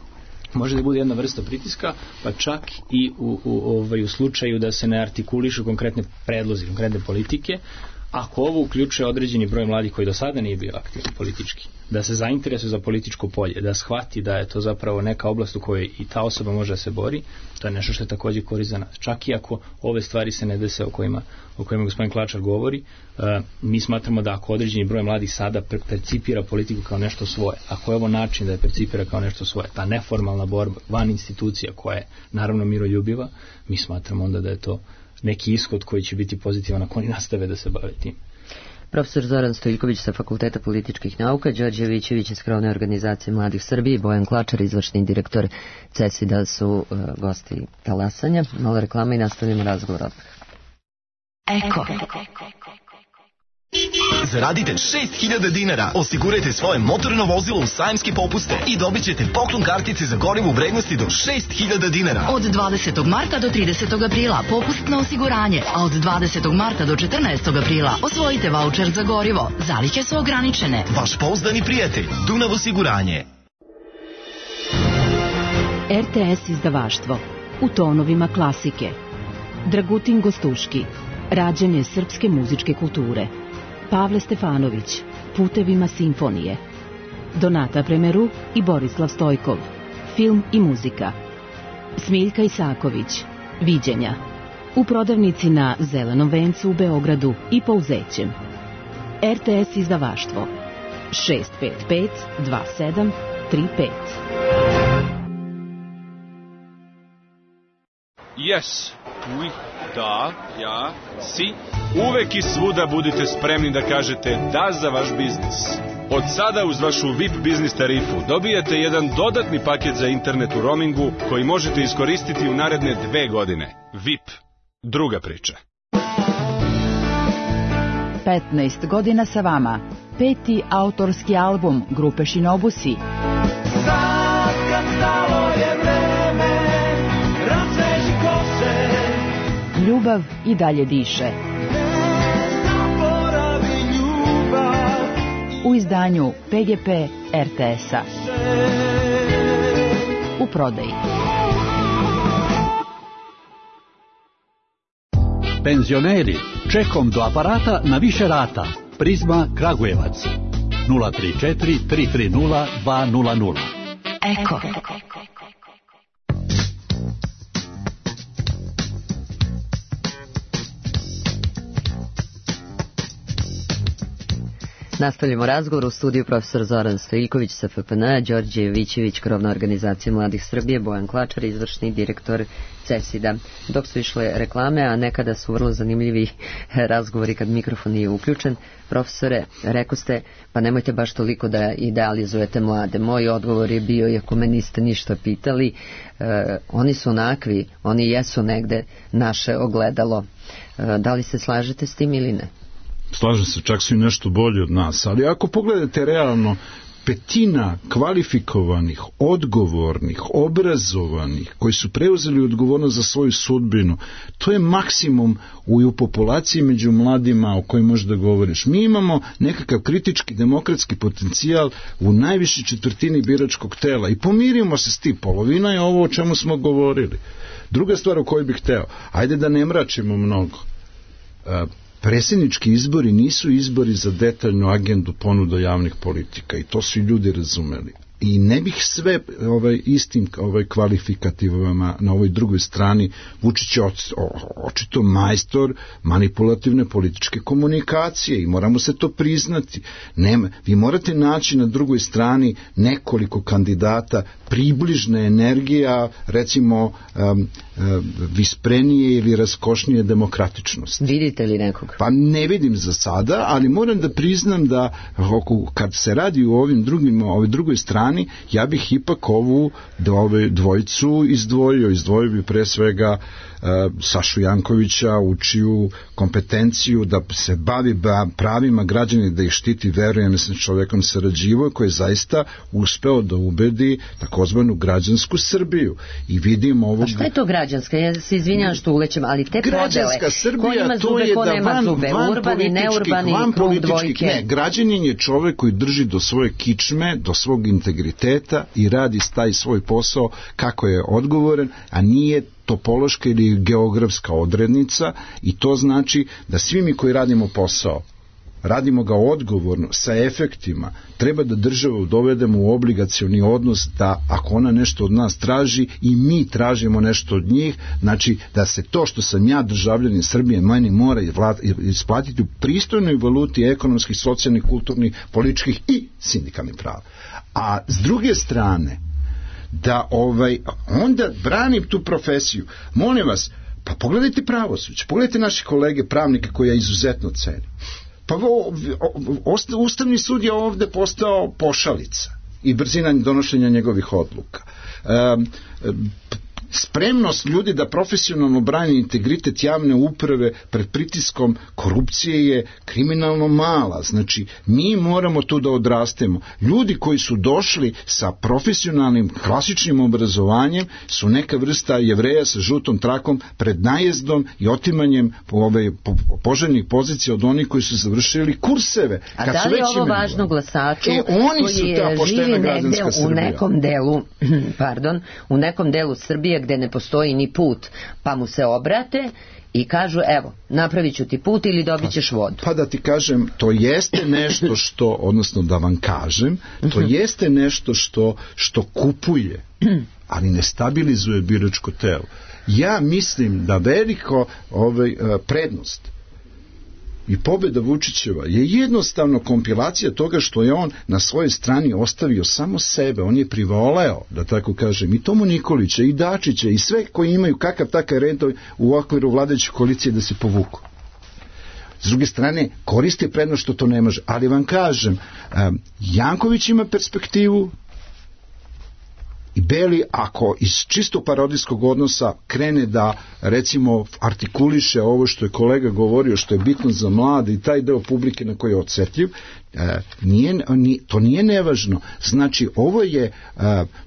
Može da bude jedna vrsta pritiska, pa čak i u, u, ovaj, u slučaju da se ne artikulišu konkretne predlozi, konkretne politike, ako ovo uključuje određeni broj mladih koji do sada nije bio aktivni politički, da se zainteresuje za političko polje, da shvati da je to zapravo neka oblast u kojoj i ta osoba može da se bori, to je nešto što je također korist za nas. Čak i ako ove stvari se ne dese o kojima, o kojima gospodin Klačar govori, uh, mi smatramo da ako određeni broj mladih sada percipira politiku kao nešto svoje, ako je ovo način da je percipira kao nešto svoje, ta neformalna borba van institucija koja je naravno miroljubiva, mi smatramo onda da je to neki ishod koji će biti pozitivan ako oni nastave da se bave tim. Profesor Zoran Stojiljković sa Fakulteta političkih nauka, Đorđe Vićević iz Krovne organizacije Mladih Srbije i Bojan Klačar, izvršni direktor CESID-a su uh, gosti talasanja. Malo reklama i nastavljamo razgovor odmah. Eko. Zaradite šest hiljada dinara, osigurajte svoje motorno vozilo u sajamske popuste i dobit ćete poklon kartice za gorivo u vrednosti do šest hiljada dinara. Od dvadesetog marta do tridesetog aprila popust na osiguranje, a od dvadesetog marta do četrnaestog aprila osvojite vaučer za gorivo. Zalihe su ograničene. Vaš pouzdani prijatelj, Dunav osiguranje. R T S izdavaštvo u tonovima klasike. Dragutin Gostuški, rađanje srpske muzičke kulture. Pavle Stefanović, Putevima simfonije. Donata Premeru i Borislav Stojkov, film i muzika. Smiljka Isaković, Viđenja. U prodavnici na Zelenom vencu u Beogradu i Pouzećem. R T S izdavaštvo šest pet pet dva sedam tri pet. Yes, oui, da, ja, si. Uvek i svuda budite spremni da kažete da za vaš biznis. Od sada uz vašu V I P biznis tarifu dobijate jedan dodatni paket za internet u roamingu koji možete iskoristiti u naredne dve godine. V I P. Druga priča. petnaest godina sa vama. Peti autorski album grupe Shinobusi. Sad kad stalo je vreme, razveži kose. Ljubav i dalje diše. Zaboravi ljubav. U izdanju P G P R T S-a. U prodaji. Penzioneri, čekom do aparata na više rata. Prizma Kragujevac. nula tri četiri tri tri nula dva nula nula. Eko. Nastavljamo razgovor u studiju profesor Zoran Stojiljković sa F P N, Đorđe Vićević, Krovna organizacija Mladih Srbije, Bojan Klačar, izvršni direktor CESID-a. Dok su išle reklame, a nekada su vrlo zanimljivi razgovori kad mikrofon nije uključen, profesore, rekao ste, pa nemojte baš toliko da idealizujete mlade. Moj odgovor je bio, iako me niste ništa pitali, eh, oni su onakvi, oni jesu negde naše ogledalo. Eh, da li se slažete s tim ili ne? Slažem se, čak su i nešto bolji od nas, ali ako pogledate realno, petina kvalifikovanih, odgovornih, obrazovanih, koji su preuzeli odgovornost za svoju sudbinu, to je maksimum u, u populaciji među mladima o kojoj možda govoriš. Mi imamo nekakav kritički demokratski potencijal u najvišoj četvrtini biračkog tela i pomirimo se s tim, polovina je ovo o čemu smo govorili. Druga stvar o kojoj bih hteo, ajde da ne mračimo mnogo. Uh, Predsjednički izbori nisu izbori za detaljnu agendu ponuda javnih politika i to su ljudi razumeli. I ne bih sve ovaj, istim ovaj, kvalifikativama na ovoj drugoj strani. Vučić je očito majstor manipulativne političke komunikacije i moramo se to priznati. Nema, vi morate naći na drugoj strani nekoliko kandidata približne energija, recimo um, um, visprenije ili raskošnije demokratičnosti. Vidite li nekog? Pa ne vidim za sada, ali moram da priznam da kad se radi u ovim drugim, ovoj drugoj strani, ja bih ipak ovu dvojicu izdvojio, izdvojio bi pre svega Sašu Jankovića, učiju kompetenciju da se bavi pravima građana, da ih štiti, verujem sa čovekom sarađivo, koji je zaista uspeo da ubedi takozvanu građansku Srbiju. I vidimo ovog... A šta je to građanska? Ja se izvinjam što ulećem, ali te građanska podele, Srbija, ko ima zube, ko nema van, zube, van urbani, neurbani, krug dvojke. Ne, građanin je čovek koji drži do svoje kičme, do svog integriteta i radi taj svoj posao kako je odgovoran, a nije topološka ili geografska odrednica, i to znači da svi mi koji radimo posao, radimo ga odgovorno, sa efektima, treba da državu dovedemo u obligacioni odnos, da ako ona nešto od nas traži i mi tražimo nešto od njih, znači da se to što sam ja državljanin Srbije meni mora isplatiti u pristojnoj valuti ekonomskih, socijalnih, kulturnih, političkih i sindikalnih prava. A s druge strane, da ovaj, onda branim tu profesiju. Molim vas, pa pogledajte pravosuđe, pogledajte naše kolege pravnike koje ja izuzetno cenim. Pa o, o, Ustavni sud je ovde postao pošalica i brzina donošenja njegovih odluka. Um, spremnost ljudi da profesionalno brani integritet javne uprave pred pritiskom korupcije je kriminalno mala. Znači, mi moramo tu da odrastemo. Ljudi koji su došli sa profesionalnim, klasičnim obrazovanjem su neka vrsta Jevreja sa žutom trakom pred najezdom i otimanjem ove poželjnih pozicija od onih koji su završili kurseve. A kad da li je ovo važno glasaču e, oni su ta poštena građanska Srbija? U nekom delu, pardon, u nekom delu Srbije gde ne postoji ni put, pa mu se obrate i kažu, evo, napravit ću ti put ili dobit ćeš vodu. Pa da ti kažem, to jeste nešto što, odnosno da vam kažem, to jeste nešto što, što kupuje, ali ne stabilizuje biračko telo. Ja mislim da veliko ovaj, prednost i pobjeda Vučićeva je jednostavno kompilacija toga što je on na svojoj strani ostavio samo sebe. On je privoleo, da tako kažem, i Tomu Nikolića, i Dačića, i sve koji imaju kakav takav red u okviru vladajuće koalicije da se povuku. S druge strane, koristi prednost što to ne može. Ali vam kažem, Janković ima perspektivu, i Beli, ako iz čisto parodijskog odnosa krene da, recimo, artikuliše ovo što je kolega govorio, što je bitno za mlade i taj deo publike na koji je odsjetljiv, nije, to nije nevažno. Znači, ovo je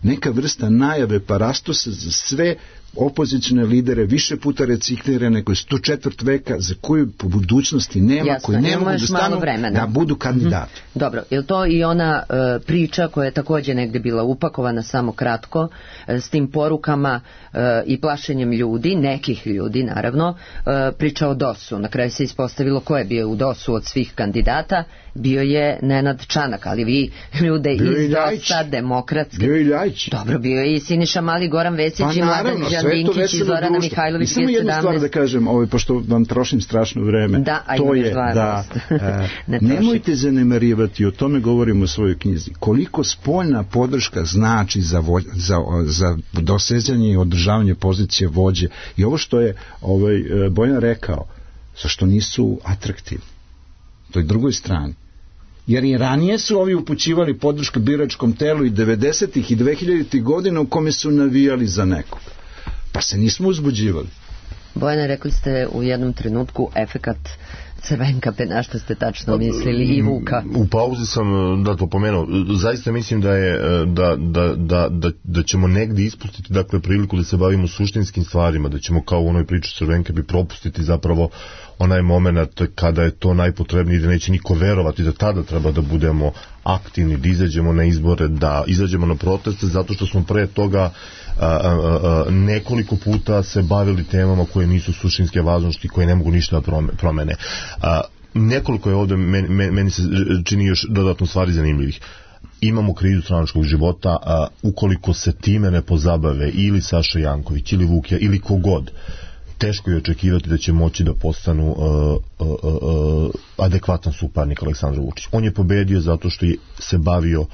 neka vrsta najave parastosa za sve opozicijne lidere, više puta reciklirane, koji su tu četvrt veka, za koju po budućnosti nema, jasno, koji ne mogu da stanu da budu kandidati. Mm-hmm. Dobro, je li to i ona uh, priča koja je također negde bila upakovana samo kratko, uh, s tim porukama uh, i plašenjem ljudi, nekih ljudi naravno, uh, priča o dosu. Na kraju se ispostavilo ko je bio u dosu od svih kandidata, bio je Nenad Čanak, ali vi ljude bio iz dosta demokratski. Bio je Ljajić. Dobro, bio je i Siniša Mali, Goran Vesić pa, i Mladen Đandinkić i Zorana Mihajlović. Samo jednu stvar da kažem, ovaj, pošto vam trošim strašno vreme, da, to je da e, ne nemojte zanemarivati, o tome govorimo u svojoj knjizi, koliko spoljna podrška znači za, vo, za, za dosezanje i održavanje pozicije vođe. I ovo što je ovaj, Bojan rekao, zašto nisu atraktivni toj drugoj strani. Jer i ranije su ovi upućivali podršku biračkom telu i devedesetih i dvehiljaditih godina u kome su navijali za nekog. Pa se nismo uzbuđivali. Bojane, rekli ste u jednom trenutku efekat Crvenkape, na što ste tačno mislili, i Vuka? U pauzi sam da to pomenuo. Zaista mislim da je da, da, da, da, da ćemo negdje ispustiti, dakle, priliku da se bavimo suštinskim stvarima, da ćemo kao u onoj priči Crvenkapi propustiti zapravo onaj moment kada je to najpotrebnije, da neće niko verovati da tada treba da budemo aktivni, da izađemo na izbore, da izađemo na proteste, zato što smo pre toga a, a, a, nekoliko puta se bavili temama koje nisu suštinske važnosti, koje ne mogu ništa da promene. A, nekoliko je ovdje, meni, meni se čini još dodatno stvari zanimljivih. Imamo krizu stranačkog života, a ukoliko se time ne pozabave ili Saša Janković, ili Vukija, ili kogod, teško je očekivati da će moći da postanu uh, uh, uh, adekvatan suparnik Aleksandru Vučiću. On je pobedio zato što je se bavio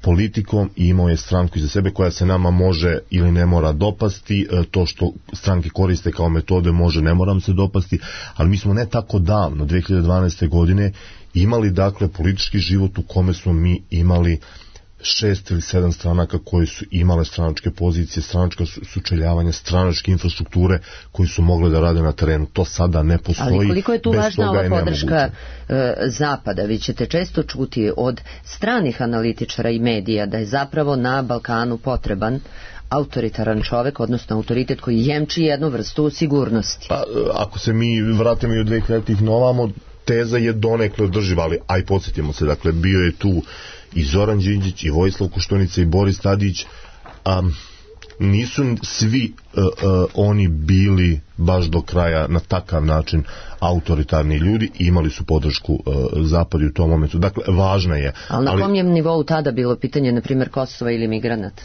politikom i imao je stranku iza sebe koja se nama može ili ne mora dopasti. Uh, to što stranke koriste kao metode može, ne moram se dopasti, ali mi smo ne tako davno, dve hiljade dvanaeste godine, imali, dakle, politički život u kome smo mi imali šest ili sedam stranaka koje su imale stranačke pozicije, stranačka sučeljavanja, stranačke infrastrukture koji su mogli da rade na terenu. To sada ne postoji. Ali koliko je tu važna ova podrška e, Zapada? Vi ćete često čuti od stranih analitičara i medija da je zapravo na Balkanu potreban autoritaran čovek, odnosno autoritet koji jemči jednu vrstu sigurnosti. Pa, ako se mi vratimo i od dve hiljaditih novamo, teza je donekle održiva, ali aj podsjetimo se, dakle, bio je tu i Zoran Đinđić, i Vojislav Koštunica, i Boris Tadić. Um, nisu svi uh, uh, oni bili baš do kraja na takav način autoritarni ljudi i imali su podršku uh, Zapadu u tom momentu. Dakle, važna je. Ali na ali, kom je nivou tada bilo pitanje, na primjer, Kosova ili migranata?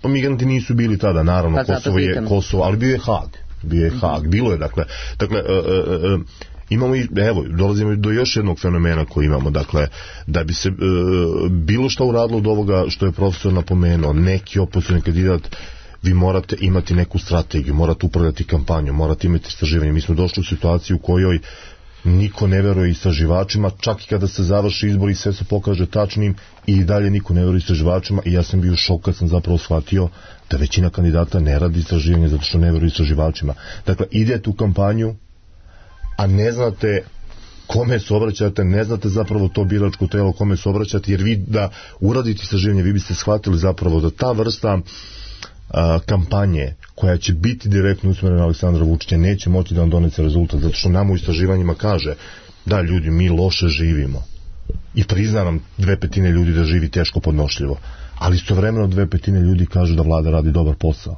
Pa migranti nisu bili tada, naravno, pa Kosovo je Kosovo, ali bio je Hag. Bio je Hag, bilo je, dakle, dakle uh, uh, uh, imamo i, evo, dolazimo do još jednog fenomena koji imamo, dakle, da bi se e, bilo što uradilo od ovoga što je profesor napomenuo, neki opozicioni kandidat, vi morate imati neku strategiju, morate upravljati kampanju, morate imati istraživanje. Mi smo došli u situaciju u kojoj niko ne veruje istraživačima, čak i kada se završi izbor i sve se pokaže tačnim, i dalje niko ne veruje istraživačima, i ja sam bio u šoku kad sam zapravo shvatio da većina kandidata ne radi istraživanje zato što ne veruje istraživačima. Dakle, idete u kampanju, a ne znate kome se obraćate, ne znate zapravo to biračko telo kome se obraćate, jer vi da uradite istraživanje, vi biste shvatili zapravo da ta vrsta a, kampanje koja će biti direktno usmjerena na Aleksandra Vučića neće moći da vam donese rezultat, zato što nam u istraživanjima kaže da ljudi, mi loše živimo i prizna nam dve petine ljudi da živi teško podnošljivo, ali istovremeno dve petine ljudi kažu da vlada radi dobar posao.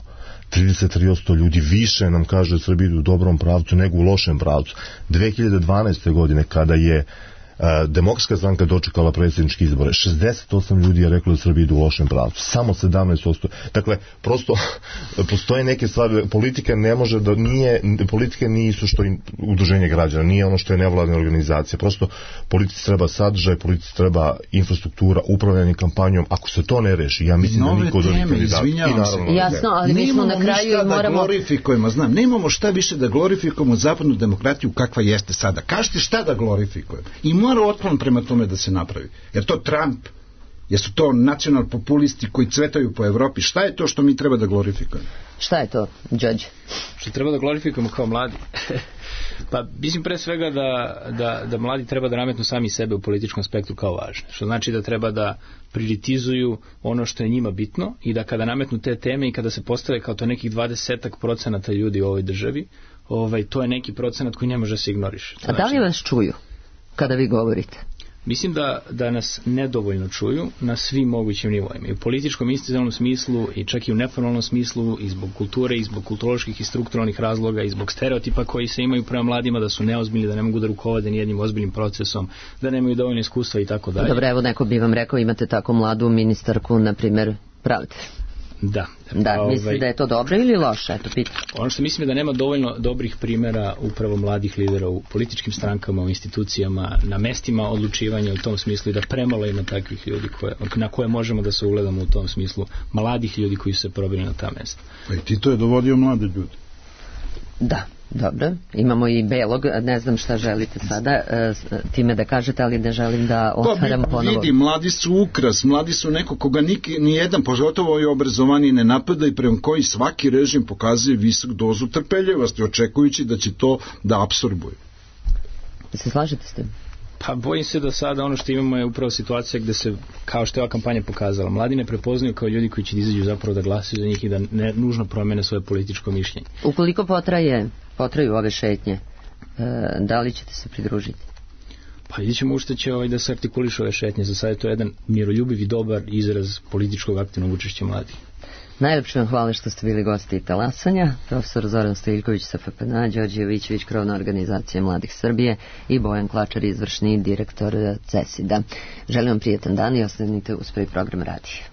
trideset tri posto ljudi više nam kaže da Srbija ide u dobrom pravcu nego u lošem pravcu. dve hiljade dvanaeste. godine, kada je uh, Demokratska stranka dočekala predsjedničke izbore, šezdeset osam ljudi je reklo da Srbija ide u lošem pravcu, samo sedamnaest posto. Dakle, prosto postoje neke stvari, politika ne može da nije, politika nije isto što i udruženje građana, nije ono što je nevladna organizacija, prosto politici treba sadržaj, politici treba infrastruktura, upravljanje kampanjom. Ako se to ne reši, ja mislim nove da niko od ovih kandidata. Jasno, ali mi smo na kraju da moramo... glorifikujemo, znam, nemamo šta više da glorifikujemo zapadnu demokratiju kakva jeste sada. Kažete šta da glorifikujemo. I mora otklon prema tome da se napravi. Jer to Trump, jesu to nacional populisti koji cvetaju po Evropi. Šta je to što mi treba da glorifikujemo? Šta je to, Đorđe? Što treba da glorifikujemo kao mladi? Pa mislim pre svega da, da, da mladi treba da nametnu sami sebe u političkom spektru kao važne. Što znači da treba da prioritizuju ono što je njima bitno i da kada nametnu te teme i kada se postave kao to nekih dvadesetak procenata ljudi u ovoj državi, ovaj, to je neki procenat koji ne može se ignoriše. A da li vas čuju kada vi govorite? Mislim da, da nas nedovoljno čuju na svim mogućim nivoima. I u političkom institucionalnom smislu, i čak i u neformalnom smislu, i zbog kulture, i zbog kulturoloških i strukturalnih razloga, i zbog stereotipa koji se imaju prema mladima, da su neozbiljni, da ne mogu da rukovode nijednim ozbiljnim procesom, da nemaju dovoljno iskustva i tako dalje. Dobro, evo neko bi vam rekao, imate tako mladu ministarku, na primjer, pravde. Da. Da, ovaj, mislim da je to dobro ili loše? Eto, pitam. Ono što mislim je da nema dovoljno dobrih primjera upravo mladih lidera u političkim strankama, u institucijama, na mestima odlučivanja u tom smislu i da premalo ima takvih ljudi koje, na koje možemo da se ugledamo u tom smislu, mladih ljudi koji su se probili na ta mesta. Pa i Tito je dovodio mlade ljudi. Da. Dobro, imamo i Belog, ne znam šta želite sada time da kažete, ali ne želim da otvaram pa, ponovo. Vidi, mladi su ukras, mladi su neko koga ni jedan, pogotovo i obrazovani, ne napada i prema koji svaki režim pokazuje visok dozu trpeljivosti, očekujući da će to da apsorbuje. Se slažete s tim? Pa bojim se da sada ono što imamo je upravo situacija gde se, kao što je ova kampanja pokazala, mladi ne prepoznaju kao ljudi koji će da izađu zapravo da glasaju za njih i da ne nužno promene svoje političko mišljenje. Ukoliko potraje, potraju ove šetnje, da li ćete se pridružiti? Pa vidjet ćemo ušte će ovaj da se artikuliše ove šetnje. Za sada je to jedan miroljubiv i dobar izraz političkog aktivnog učešća mladih. Najlepše vam hvala što ste bili gosti talasanja. Profesor Zoran Stojiljković sa F P N A, Đorđe Jovićević, krovna organizacija Mladih Srbije, i Bojan Klačar, izvršni direktor C E S I D-a. Želim vam prijetan dan i ostanite uz prvi program radija.